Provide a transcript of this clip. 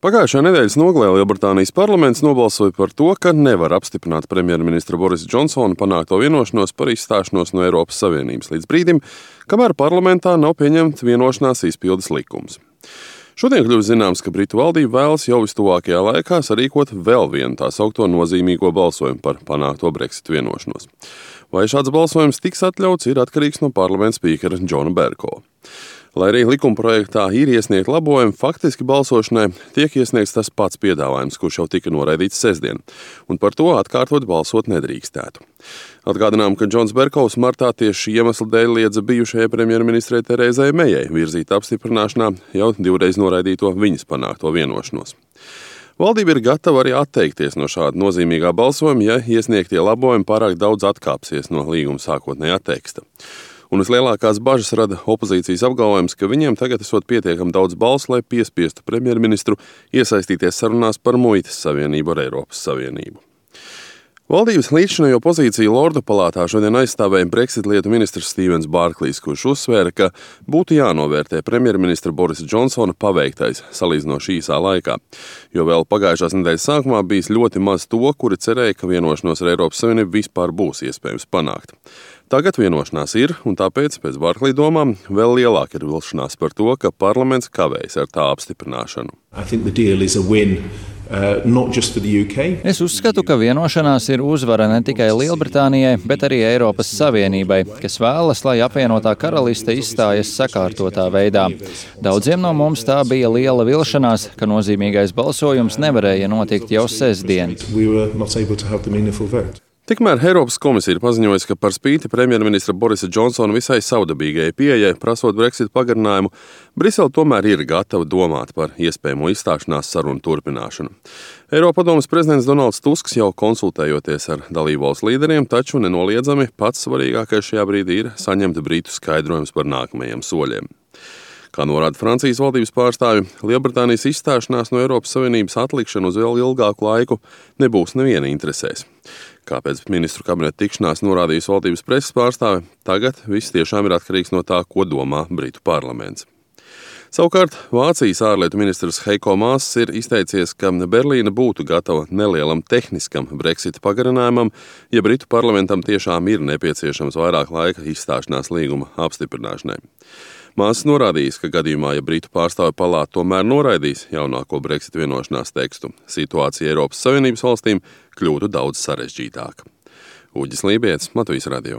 Pagājušajā nedēļas nogalē Lielbritānijas parlaments nobalsoja par to, ka nevar apstiprināt premjerministra Borisa Džonsona panākto vienošanos par izstāšanos no Eiropas Savienības līdz brīdim, kamēr parlamentā nav pieņemts vienošanās izpildes likums. Šodien kļuvis zināms, ka Britu valdība vēlas jau vistuvākajā laikā sarīkot vēl vienu tā saukto nozīmīgo balsojumu par panākto Brexit vienošanos. Vai šāds balsojums tiks atļauts, ir atkarīgs no parlamenta spīkera Džona Berkola. Lai arī likumprojektā ir iesniegt labojumi, faktiski balsošanai tiek iesniegts tas pats piedāvājums, kurš jau tika noraidīts sestdien, un par to atkārtot balsot nedrīkstētu. Atgādinām, ka Džons Berkols martā tieši šī iemesla dēļ liedza bijušajai premjerministrei Terezai Mejai virzīt apstiprināšanā jau divreiz noraidīto viņas panākto vienošanos. Valdība ir gatava arī atteikties no šāda nozīmīgā balsojuma, ja iesniegtie labojumi pārāk daudz atkāpsies no līguma sākotnējā teksta. Un vislielākās bažas rada opozīcijas apgalvojums, ka viņiem tagad esot pietiekami daudz balsu, lai piespiestu premjerministru iesaistīties sarunās par muitas savienību ar Eiropas Savienību. Valdības līdzšinējo pozīciju Lordu palātā šodien aizstāvēja Brexit lietu ministrs Stevens Barklīs, kurš uzsvēra, ka būtu jānovērtē premjerministra Borisa Džonsona paveiktais salīdzinoši īsā laikā, jo vēl pagājušās nedēļas sākumā bijis ļoti maz to, kuri cerēja, ka vienošanos ar Eiropas Savienību vispār būs iespējams panākt. Tagad vienošanās ir, un tāpēc, pēc Barklī domām, vēl lielāka ir vilšanās par to, ka parlaments kavējas ar tā apstiprināšanu. Es uzskatu, ka vienošanās ir uzvara ne tikai Lielbritānijai, bet arī Eiropas Savienībai, kas vēlas, lai apvienotā karaliste izstājas sakārtotā veidā. Daudziem no mums tā bija liela vilšanās, ka nozīmīgais balsojums nevarēja notikt jau sestdien. Tikmēr Eiropas komisija ir paziņojusi, ka par spīti premjerministra Borisa Džonsona visai savdabīgajai pieejai prasot Brexit pagarinājumu, Brisele tomēr ir gatava domāt par iespējamo izstāšanās sarunu turpināšanu. Eiropadomes prezidents Donalds Tusks jau konsultējoties ar dalībvalstu līderiem, taču nenoliedzami pats svarīgākais šajā brīdī ir saņemt Britu skaidrojums par nākamajiem soļiem. Kā norāda Francijas valdības pārstāvji, Lielbritānijas izstāšanās no Eiropas Savienības atlikšana uz vēl ilgāku laiku nebūs neviena interesēs. Kā pēc ministru kabineta tikšanās norādījis valdības preses pārstāve, tagad viss tiešām ir atkarīgs no tā, ko domā Britu parlaments. Savukārt, Vācijas ārlietu ministrs Heiko Maas ir izteicies, ka Berlīne būtu gatava nelielam tehniskam Brexit pagarinājumam, ja Britu parlamentam tiešām ir nepieciešams vairāk laika izstāšanās līguma apstiprināšanai. Māsas norādījis, ka gadījumā, ja Britu pārstāvju palāta tomēr noraidīs jaunāko Brexit vienošanās tekstu, situācija Eiropas Savienības valstīm kļūtu daudz sarežģītāka. Uģis Lībietis, Latvijas radio.